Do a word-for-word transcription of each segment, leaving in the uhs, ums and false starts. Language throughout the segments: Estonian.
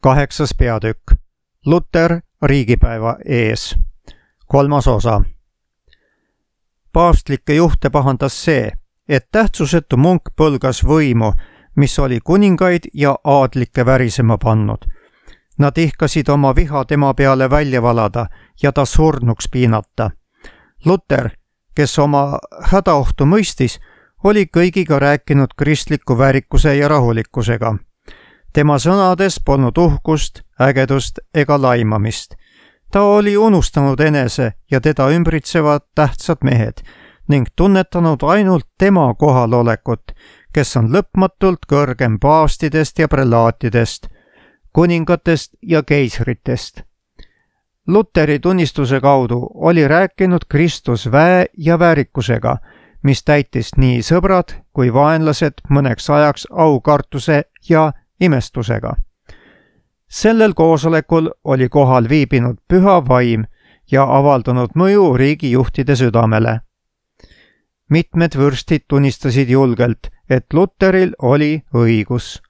Kaheksas peatükk. Luter riigipäeva ees. Kolmas osa. Paavstlikke juhte pahandas see, et tähtsusetu munk põlgas võimu, mis oli kuningaid ja aadlikke värisema pannud. Nad ihkasid oma viha tema peale välja valada ja ta surnuks piinata. Luter, kes oma hädaohtu mõistis, oli kõigiga rääkinud kristliku väärikuse ja rahulikkusega. Tema sõnades polnud uhkust, ägedust ega laimamist. Ta oli unustanud enese ja teda ümbritsevad tähtsad mehed ning tunnetanud ainult tema kohalolekut, kes on lõpmatult kõrgem paavstidest ja prelaatidest, kuningatest ja keisritest. Luteri tunnistuse kaudu oli rääkinud Kristus väe ja väärikusega, mis täitis nii sõbrad kui vaenlased mõneks ajaks aukartuse ja imestusega. Sellel koosolekul oli kohal viibinud püha vaim ja avaldanud mõju riigijuhtide südamele. Mitmed vürstid tunnistasid julgelt, et Luteril oli õigus.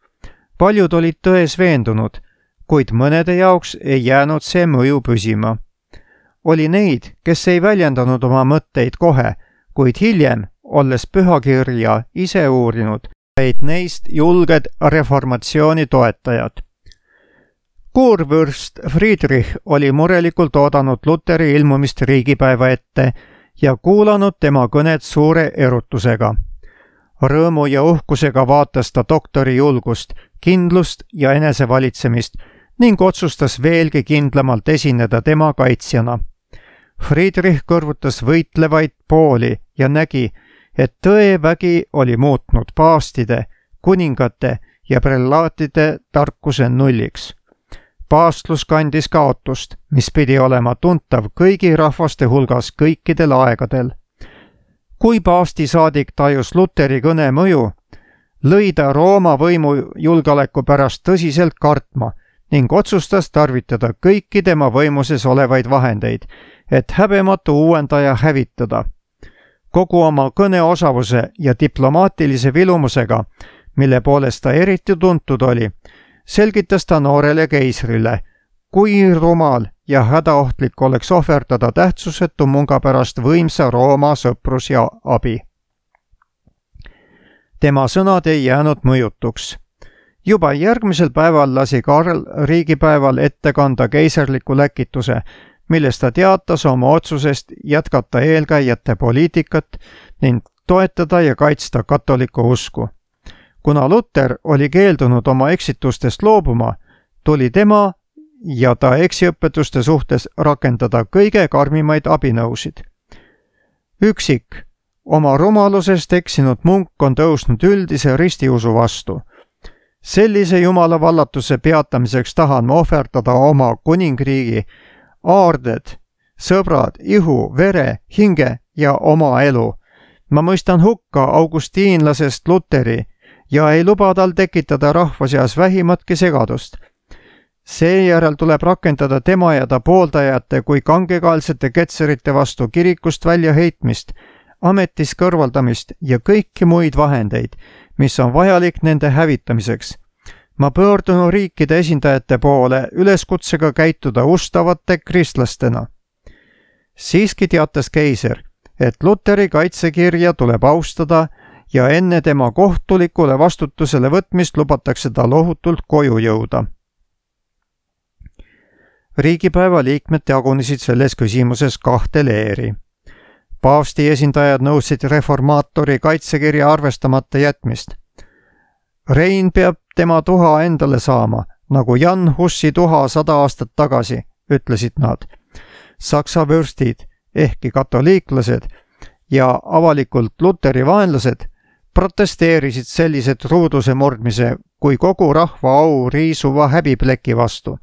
Paljud olid tões veendunud, kuid mõnede jaoks ei jäänud see mõju püsima. Oli neid, kes ei väljendanud oma mõtteid kohe, kuid hiljem, olles pühakirja ise uurinud, said neist julged reformatsiooni toetajad. Kuurvürst Friedrich oli murelikult oodanud Luteri ilmumist riigipäeva ette ja kuulanud tema kõnet suure erutusega. Rõõmu ja uhkusega vaatas ta doktori julgust, kindlust ja enesevalitsemist ning otsustas veelgi kindlamalt esineda tema kaitsjana. Friedrich kõrvutas võitlevaid pooli ja nägi, et tõevägi oli muutnud paavstide, kuningate ja prelaatide tarkuse nulliks. Paavstlus kandis kaotust, mis pidi olema tuntav kõigi rahvaste hulgas kõikidel aegadel. Kui paavstisaadik tajus Luteri kõne mõju, lõi ta Rooma võimu julgeoleku pärast tõsiselt kartma ning otsustas tarvitada kõiki tema võimuses olevaid vahendeid, et häbematu uuendaja hävitada. Kogu oma kõneosavuse ja diplomaatilise vilumusega, mille poolest ta eriti tuntud oli, selgitas ta noorele keisrile, kui rumal ja hädaohtlik oleks ohverdada tähtsusetu munga pärast võimsa Rooma sõprus ja abi. Tema sõnad ei jäänud mõjutuks. Juba järgmisel päeval lasi Karl riigipäeval ette kanda keisarliku läkituse, milles ta teatas oma otsusest jätkata eelkäijate poliitikat ning toetada ja kaitsta katoliku usku. Kuna Luter oli keeldunud oma eksitustest loobuma, tuli tema ja ta eksiõpetuste suhtes rakendada kõige karmimaid abinõusid. Üksik, oma rumalusest eksinud munk on tõusnud üldise ristiusu vastu. Sellise jumala vallatuse peatamiseks tahan ma ohverdada oma kuningriigi, aarded, sõbrad, ihu, vere, hinge ja oma elu. Ma mõistan hukka augustiinlasest Luteri ja ei luba tal tekitada rahva seas vähimatki segadust. Seejärel tuleb rakendada tema ja ta pooldajate kui kangekaelsete ketserite vastu kirikust väljaheitmist, ametis kõrvaldamist ja kõiki muid vahendeid, mis on vajalik nende hävitamiseks. Ma pöördun riikide esindajate poole üleskutsega käituda ustavate kristlastena. Siiski teatas keiser, et Luteri kaitsekirja tuleb austada ja enne tema kohtulikule vastutusele võtmist lubatakse ta lohutult koju jõuda. Riigipäeva liikmed jagunesid selles küsimuses kahte leeri. Paavsti esindajad nõudsid reformaatori kaitsekirja arvestamata jätmist. Rein peab tema tuha endale saama, nagu Jan Hussi tuha sada aastat tagasi, ütlesid nad. Saksa vürstid, ehkki katoliiklased ja avalikult Luteri vaenlased, protesteerisid sellise truuduse murdmise kui kogu rahva au riisuva häbipleki vastu.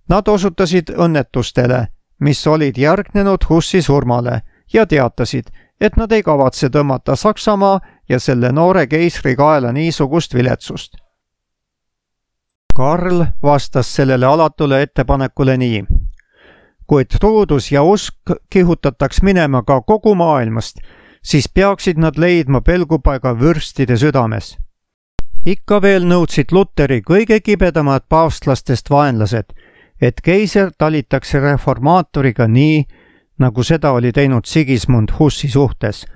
Nad osutasid õnnetustele, mis olid järgnenud Hussi surmale ja teatasid, et nad ei kavatse tõmmata Saksamaa ja selle noore keisri kaela niisugust viletsust. Karl vastas sellele alatule ettepanekule nii. Kui truudus ja usk kihutataks minema ka kogu maailmast, siis peaksid nad leidma pelgupaiga vürstide südames. ikka veel nõudsid Luteri kõige kibedamad paavstlastest vaenlased, et keiser talitaks reformaatoriga nii, nagu seda oli teinud Sigismund Hussi suhtes,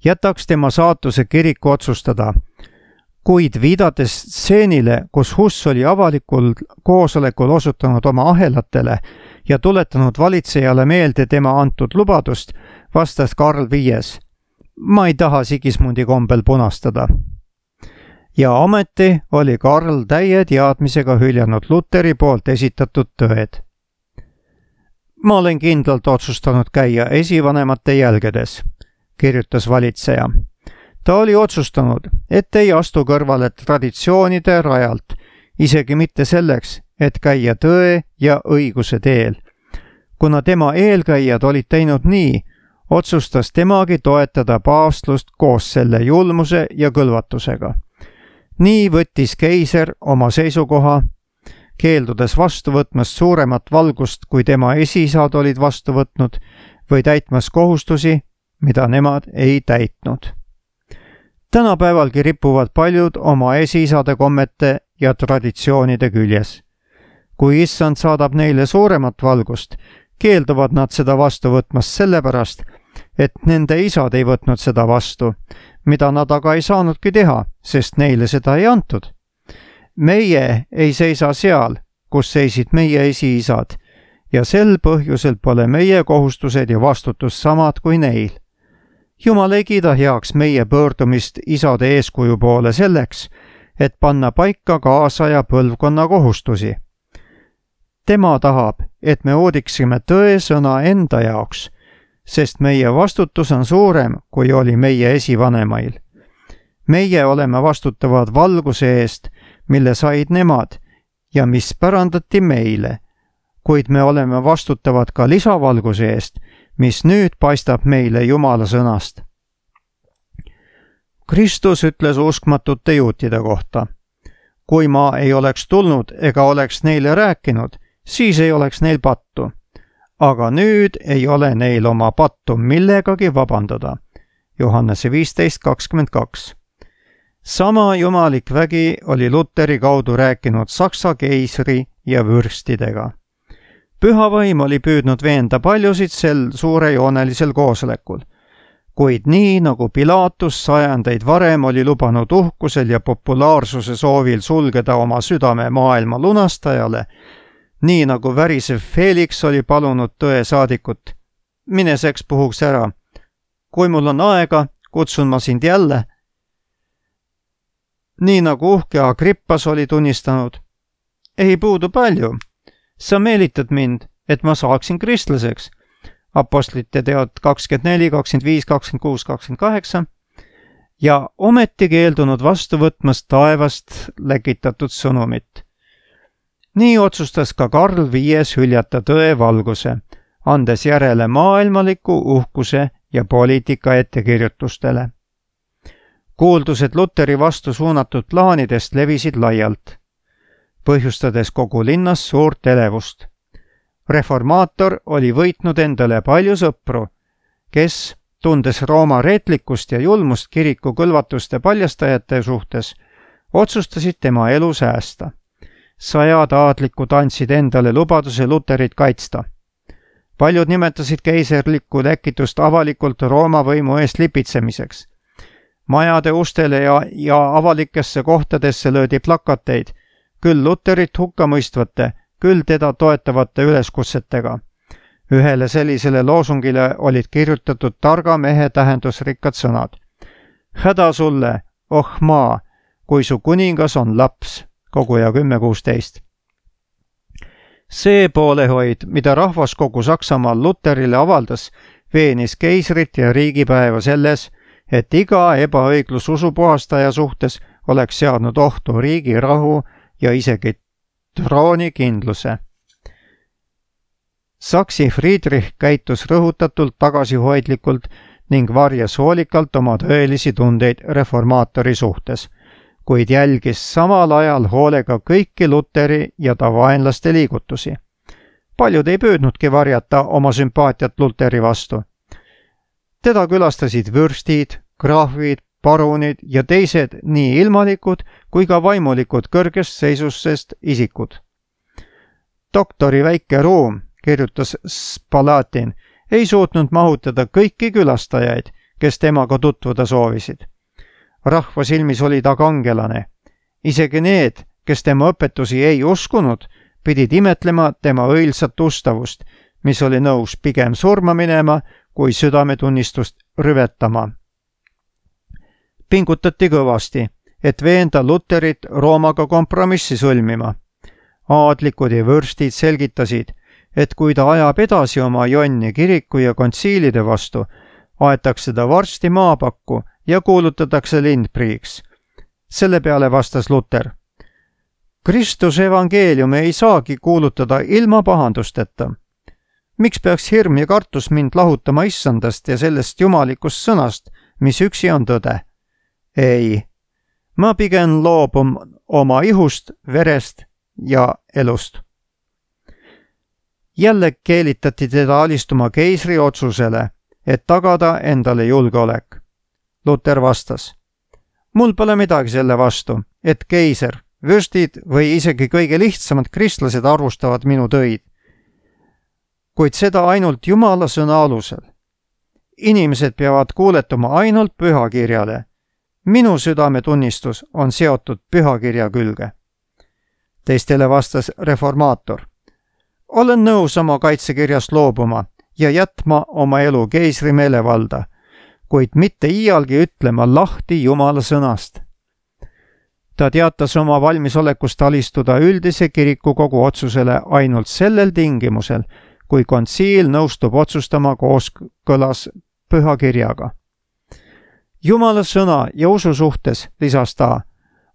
jätaks tema saatuse kiriku otsustada. Kuid viidates stseenile, kus Huss oli avalikul koosolekul osutanud oma ahelatele ja tuletanud valitsejale meelde tema antud lubadust, vastas Karl Viies: ma ei taha Sigismundi kombel punastada. Ja ometi oli Karl täie teadmisega hüljanud Luteri poolt esitatud tõed. Ma olen kindlalt otsustanud käia esivanemate jälgedes, kirjutas valitseja. Ta oli otsustanud, et ei astu kõrvale traditsioonide rajalt, isegi mitte selleks, et käia tõe ja õiguse teel. Kuna tema eelkäijad olid teinud nii, otsustas temagi toetada paavstlust koos selle julmuse ja kõlvatusega. Nii võttis keiser oma seisukoha, keeldudes vastu võtmast suuremat valgust, kui tema esiisad olid vastu võtnud, või täitmas kohustusi, mida nemad ei täitnud. Tänapäevalgi ripuvad paljud oma esiisade kommete ja traditsioonide küljes. Kui issand saadab neile suuremat valgust, keelduvad nad seda vastu võtmast sellepärast, et nende isad ei võtnud seda vastu, mida nad aga ei saanudki teha, sest neile seda ei antud. Meie ei seisa seal, kus seisid meie esiisad, ja sel põhjusel pole meie kohustused ja vastutus samad kui neil. Jumal ei kiida heaks meie pöördumist isade eeskuju poole selleks, et panna paika kaasaja põlvkonna kohustusi. Tema tahab, et me oodiksime tõe sõna enda jaoks, sest meie vastutus on suurem, kui oli meie esivanemail. Meie oleme vastutavad valguse eest, mille said nemad ja mis pärandati meile, kuid me oleme vastutavad ka lisavalguse eest, mis nüüd paistab meile Jumala sõnast. Kristus ütles uskmatute juutide kohta: kui ma ei oleks tulnud ega oleks neile rääkinud, siis ei oleks neil pattu. Aga nüüd ei ole neil oma pattu millegagi vabandada. Johannese viisteist kakskümmend kaks. Sama jumalik vägi oli Luteri kaudu rääkinud Saksa keisri ja vürstidega. Püha vaim oli püüdnud veenda paljusid sel suurejoonelisel koosolekul, kuid nii nagu Pilatus sajandeid varem oli lubanud uhkusel ja populaarsuse soovil sulgeda oma südame maailma lunastajale, nii nagu värisev Felix oli palunud tõe saadikut: mine seks puhuks ära. Kui mul on aega, kutsun ma sind jälle. Nii nagu uhke Agrippas oli tunnistanud: ei puudu palju. Sa meelitad mind, et ma saaksin kristlaseks. Apostlite teod kakskümmend neli, kakskümmend viis, kakskümmend kuus, kakskümmend kaheksa. Ja ometi keeldunud vastu võtmast taevast läkitatud sõnumit. Nii otsustas ka Karl Viies hüljata tõe valguse, andes järele maailmaliku uhkuse ja poliitika ettekirjutustele. Kuuldused Luteri vastu suunatud plaanidest levisid laialt, põhjustades kogu linnas suurt elevust. Reformaator oli võitnud endale palju sõpru, kes, tundes Rooma reetlikkust ja julmust kiriku kõlvatuste paljastajate suhtes, otsustasid tema elu säästa. Sajad aadlikud andsid endale lubaduse Luterit kaitsta. Paljud nimetasid keiserlikku läkitust avalikult Rooma võimu eest lipitsemiseks. Majade ustele ja, ja avalikesse kohtadesse löödi plakateid, küll Luterit hukkamõistvate, küll teda toetavate üleskutsetega. Ühele sellisele loosungile olid kirjutatud targa mehe tähendusrikkad sõnad: häda sulle, oh maa, kui su kuningas on laps. Koguja kümme kuusteist. See poolehoid, mida rahvaskogu Saksamaal Luterile avaldas, veenis keisrit ja riigipäeva selles, et iga ebaõiglus usupuhastaja suhtes oleks seadnud ohtu riigi rahu ja isegi troonikindluse. Saksi Friedrich käitus rõhutatult tagasihoidlikult ning varjas hoolikalt oma tõelisi tundeid reformaatori suhtes, kuid jälgis samal ajal hoolega kõiki Luteri ja ta vaenlaste liigutusi. Paljud ei püüdnudki varjata oma sümpaatiat Luteri vastu. Teda külastasid vürstid, krahvid, parunid ja teised nii ilmalikud kui ka vaimulikud kõrgest seisusest isikud. Doktori väike ruum, kirjutas Spalatin, ei suutnud mahutada kõiki külastajaid, kes temaga tutvuda soovisid. Rahva silmis oli ta kangelane. Isegi need, kes tema õpetusi ei uskunud, pidid imetlema tema õilsat ustavust, mis oli nõus pigem surma minema, kui südametunnistust rüvetama. Pingutati kõvasti, et veenda Luterit Roomaga kompromissi sõlmima. Aadlikud ja vürstid selgitasid, et kui ta ajab edasi oma jonni kiriku ja kontsiilide vastu, aetakse ta varsti maapakku ja kuulutatakse lindpriiks. Selle peale vastas Luter: Kristuse evangeeliumi ei saagi kuulutada ilma pahandusteta. Miks peaks hirm ja kartus mind lahutama issandast ja sellest jumalikust sõnast, mis üksi on tõde? Ei, ma pigem loobun oma ihust, verest ja elust. Jälle keelitati teda alistuma keisri otsusele, et tagada endale julgeolek. Luter vastas: Mul pole midagi selle vastu, et keiser, vürstid või isegi kõige lihtsamad kristlased arvustavad minu töid. Kuid seda ainult Jumala sõna alusel. Inimesed peavad kuuletuma ainult pühakirjale. Minu südametunnistus on seotud pühakirja külge. Teistele vastas reformaator: Olen nõus oma kaitsekirjast loobuma ja jätma oma elu keisri meelevalda, kuid mitte iialgi ütlema lahti Jumala sõnast. Ta teatas oma valmisolekust alistuda üldise kirikukogu otsusele ainult sellel tingimusel, kui kontsiil nõustub otsustama kooskõlas pühakirjaga. Jumala sõna ja usu suhtes, lisas ta,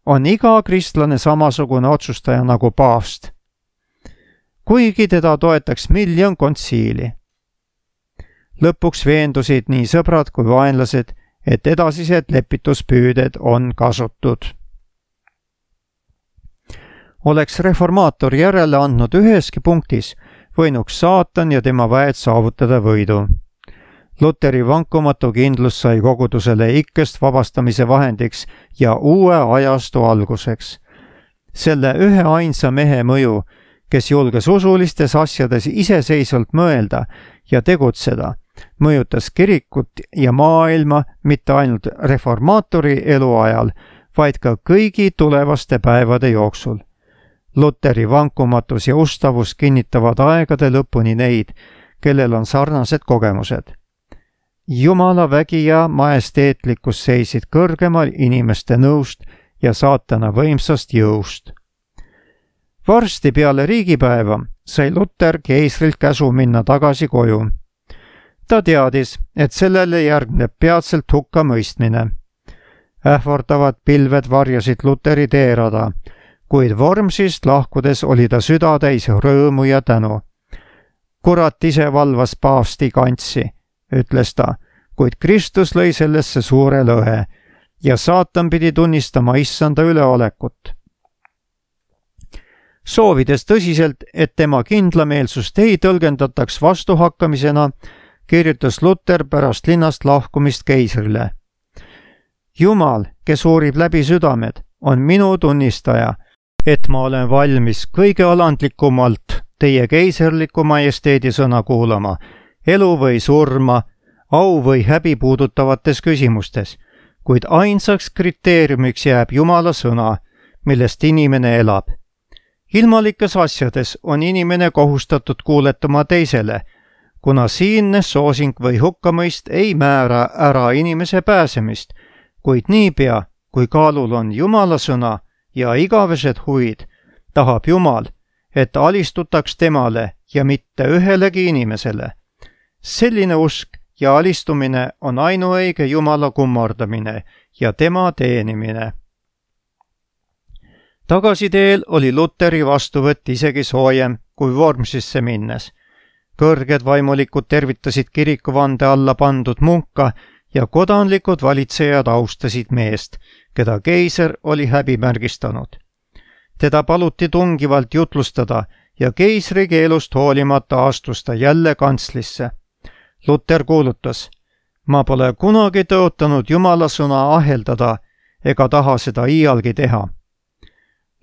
on iga kristlane samasugune otsustaja nagu paavst, kuigi teda toetaks miljon kontsiili. Lõpuks veendusid nii sõbrad kui vaenlased, et edasised lepituspüüded on kasutud. Oleks reformaator järele andnud üheski punktis, võinuks saatan ja tema väed saavutada võidu. Luteri vankumatu kindlus sai kogudusele ikkest vabastamise vahendiks ja uue ajastu alguseks. Selle ühe ainsa mehe mõju, kes julges usulistes asjades iseseisvalt mõelda ja tegutseda, mõjutas kirikut ja maailma mitte ainult reformaatori eluajal, vaid ka kõigi tulevaste päevade jooksul. Luteri vankumatus ja ustavus kinnitavad aegade lõpuni neid, kellel on sarnased kogemused. Jumala vägi ja majesteetlikkus seisid kõrgemal inimeste nõust ja saatana võimsast jõust. Varsti peale riigipäeva sai Luter keisrilt käsu minna tagasi koju. Ta teadis, et sellele järgneb peatselt hukkamõistmine. Ähvardavad pilved varjasid Luteri teerada, kuid Wormsist lahkudes oli ta süda täis rõõmu ja tänu. Kurat ise valvas paavsti kantsi, ütles ta, kuid Kristus lõi sellesse suure lõhe ja saatan pidi tunnistama issanda üleolekut. Soovides tõsiselt, et tema kindlameelsust ei tõlgendataks vastuhakkamisena, kirjutas Luter pärast linnast lahkumist keisrile. Jumal, kes uurib läbi südamed, on minu tunnistaja, et ma olen valmis kõige alandlikumalt teie keiserliku majesteedi sõna kuulama, elu või surma, au või häbi puudutavates küsimustes, kuid ainsaks kriteeriumiks jääb Jumala sõna, millest inimene elab. Ilmalikes asjades on inimene kohustatud kuuletuma teisele, kuna siinne soosing või hukkamõist ei määra ära inimese pääsemist, kuid niipea, kui kaalul on Jumala sõna ja igavesed huvid, tahab Jumal, et alistutaks temale ja mitte ühelegi inimesele. Selline usk ja alistumine on ainuõige Jumala kummardamine ja tema teenimine. Tagasiteel oli Luteri vastuvõtt isegi soojem kui Wormsisse minnes. Kõrged vaimulikud tervitasid kirikuvande alla pandud munka ja kodanlikud valitsejad austasid meest, keda keiser oli häbimärgistanud. Teda paluti tungivalt jutlustada ja keisri keelust hoolimata astus ta jälle kantslisse. Luter kuulutas: ma pole kunagi tõotanud Jumala sõna aheldada ega taha seda iialgi teha.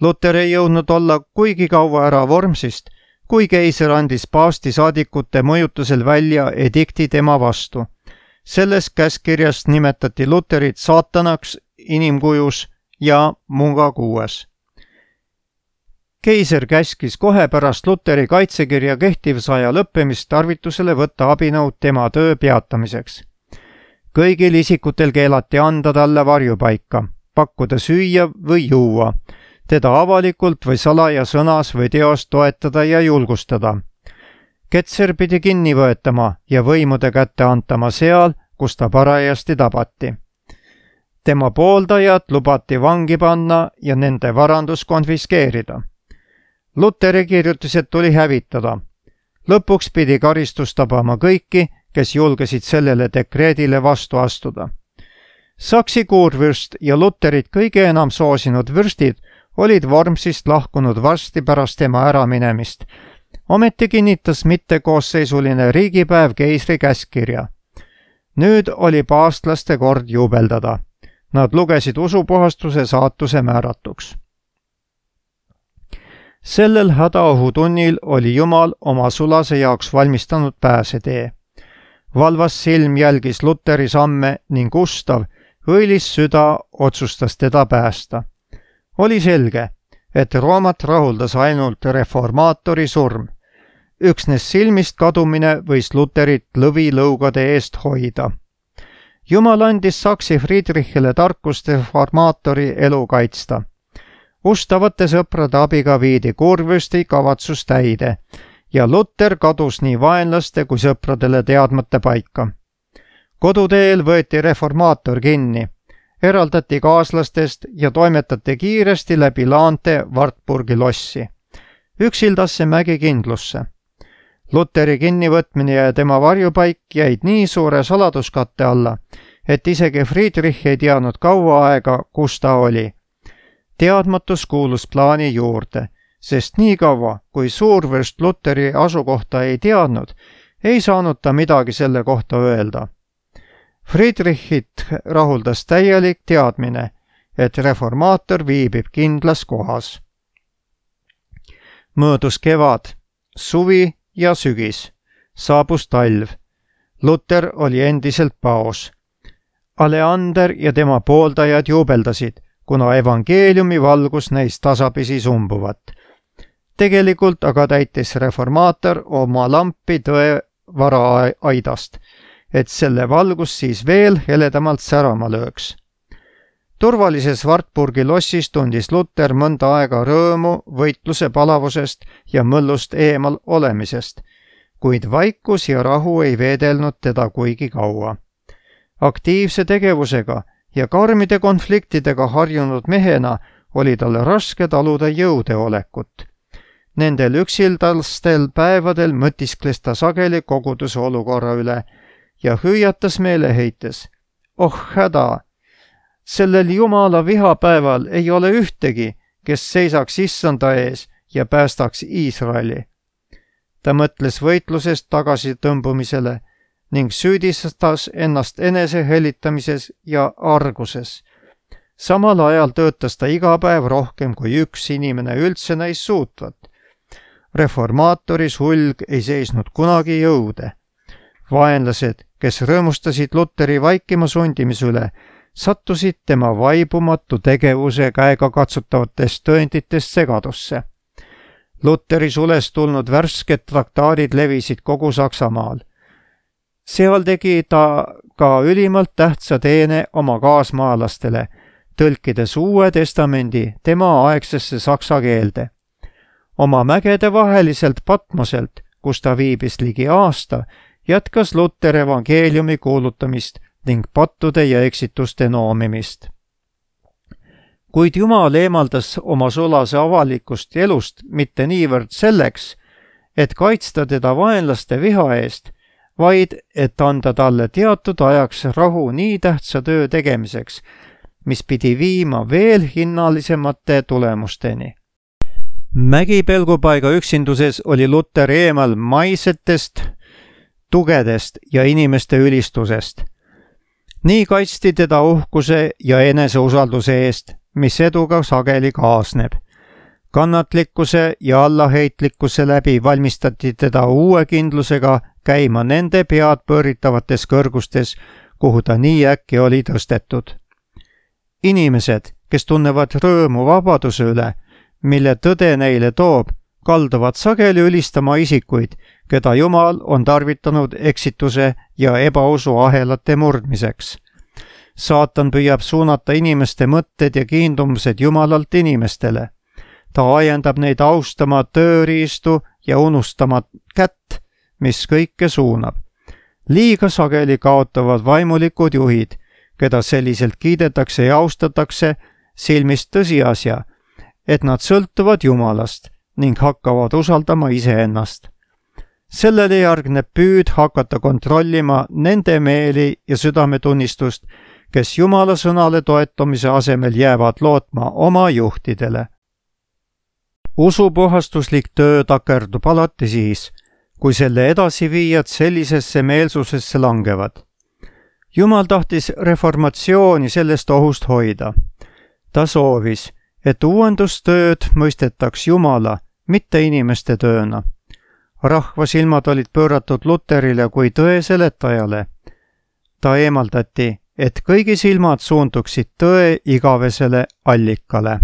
Luter ei jõudnud olla kuigi kaua ära Wormsist, kui keiser andis paavsti saadikute mõjutusel välja edikti tema vastu. Selles käskkirjas nimetati Luterit saatanaks inimkujus ja mungakuues. Keiser käskis kohe pärast Luteri kaitsekirja kehtivusaja lõppemist tarvitusele võtta abinõud tema töö peatamiseks. Kõigil isikutel keelati anda talle varjupaika, pakkuda süüa või juua, teda avalikult või salaja sõnas või teos toetada ja julgustada. Ketser pidi kinni võetama ja võimude kätte antama seal, kus ta parajasti tabati. Tema pooldajad lubati vangi panna ja nende varandus konfiskeerida. Luteri kirjutised tuli hävitada. Lõpuks pidi karistus tabama kõiki, kes julgesid sellele dekreedile vastu astuda. Saksi kuurvürst ja Luterit kõige enam soosinud vürstid olid Wormsist lahkunud varsti pärast tema äraminemist. Ometi kinnitas mittekoosseisuline riigipäev keisri käskkirja. Nüüd oli paavstlaste kord juubeldada. Nad lugesid usupuhastuse saatuse määratuks. Sellel hädaohutunnil oli Jumal oma sulase jaoks valmistanud pääsetee. Valvas silm jälgis Luteri samme ning ustav, õilis süda otsustas teda päästa. Oli selge, et Roomat rahuldas ainult reformaatori surm. Üksnes silmist kadumine võis Luterit lõvilõugade eest hoida. Jumal andis Saksi Friedrichile tarkust reformaatori elu kaitsta. Ustavate sõprade abiga viidi kuurvürsti kavatsus täide ja Luter kadus nii vaenlaste kui sõpradele teadmata paika. Koduteel võeti reformaator kinni, eraldati kaaslastest ja toimetati kiiresti läbi laante Wartburgi lossi, üksildasse mägikindlusse. Luteri kinnivõtmine ja tema varjupaik jäid nii suure saladuskatte alla, et isegi Friedrich ei teadnud kaua aega, kus ta oli. Teadmatus kuulus plaani juurde, sest nii kaua, kui suurvürst Luteri asukohta ei teadnud, ei saanud ta midagi selle kohta öelda. Friedrichit rahuldas täielik teadmine, et reformaator viibib kindlas kohas. Möödus kevad, suvi ja sügis. Saabus talv. Luter oli endiselt paos. Aleander ja tema pooldajad juubeldasid, kuna evangeeliumi valgus neis tasapisi sumbuvat. Tegelikult aga täitis reformaator oma lampi tõe varaaidast, et selle valgus siis veel heledamalt särama lööks. Turvalises Wartburgi lossis tundis Luter mõnda aega rõõmu võitluse palavusest ja mõllust eemal olemisest, kuid vaikus ja rahu ei veedelnud teda kuigi kaua. Aktiivse tegevusega ja karmide konfliktidega harjunud mehena oli talle raske taluda jõudeolekut. Nendel üksildastel päevadel mõtiskles ta sageli koguduse olukorra üle ja hüüatas meeleheites. Oh häda! Sellel Jumala vihapäeval ei ole ühtegi, kes seisaks issanda ees ja päästaks Iisraeli. Ta mõtles võitlusest tagasi tõmbumisele ning süüdistas ennast enese helitamises ja arguses. Samal ajal töötas ta iga päev rohkem kui üks inimene üldse näis suutvat. Reformaatori sulg ei seisnud kunagi jõude. Vaenlased, kes rõõmustasid Luteri vaikima sundimise üle, sattusid tema vaibumatu tegevuse käega katsutavatest tõenditest segadusse. Luteri sulest tulnud värsked traktaadid levisid kogu Saksamaal. Seal tegi ta ka ülimalt tähtsa teene oma kaasmaalastele, tõlkides Uue Testamendi tema aegsesse saksa keelde. Oma mägede vaheliselt Patmoselt, kus ta viibis ligi aasta, jätkas Luter evangeeliumi kuulutamist ning pattude ja eksituste noomimist. Kuid Jumal eemaldas oma sulase avalikust elust mitte niivõrd selleks, et kaitsta teda vaenlaste viha eest, vaid et anda talle teatud ajaks rahu nii tähtsa töö tegemiseks, mis pidi viima veel hinnalisemate tulemusteni. Mägipelgupaiga üksinduses oli Luter eemal maisetest, tugedest ja inimeste ülistusest. Nii kaitsti teda uhkuse ja eneseusalduse eest, mis eduga sageli kaasneb. kannatlikkuse ja allaheitlikkuse läbi valmistati teda uue kindlusega käima nende pead pööritavates kõrgustes, kuhu ta nii äkki oli tõstetud. Inimesed, kes tunnevad rõõmu vabaduse üle, mille tõde neile toob, kalduvad sageli ülistama isikuid, keda Jumal on tarvitanud eksituse ja ebausu ahelate murdmiseks. Saatan püüab suunata inimeste mõtted ja kiindumused Jumalalt inimestele. Ta ajendab neid austama tööriistu ja unustama kätt, mis kõike suunab. Liiga sageli kaotavad vaimulikud juhid, keda selliselt kiidetakse ja austatakse, silmist tõsiasja, et nad sõltuvad Jumalast ning hakkavad usaldama iseennast. Sellele järgneb püüd hakata kontrollima nende meeli ja südametunnistust, kes Jumala sõnale toetumise asemel jäävad lootma oma juhtidele. Usupuhastuslik töö takerdub alati siis, kui selle edasiviijad sellisesse meelsusesse langevad. Jumal tahtis reformatsiooni sellest ohust hoida. Ta soovis, et uuendustööd mõistetaks Jumala, mitte inimeste tööna. Rahva silmad olid pööratud Luterile kui tõe seletajale. Ta eemaldati, et kõigi silmad suunduksid tõe igavesele allikale.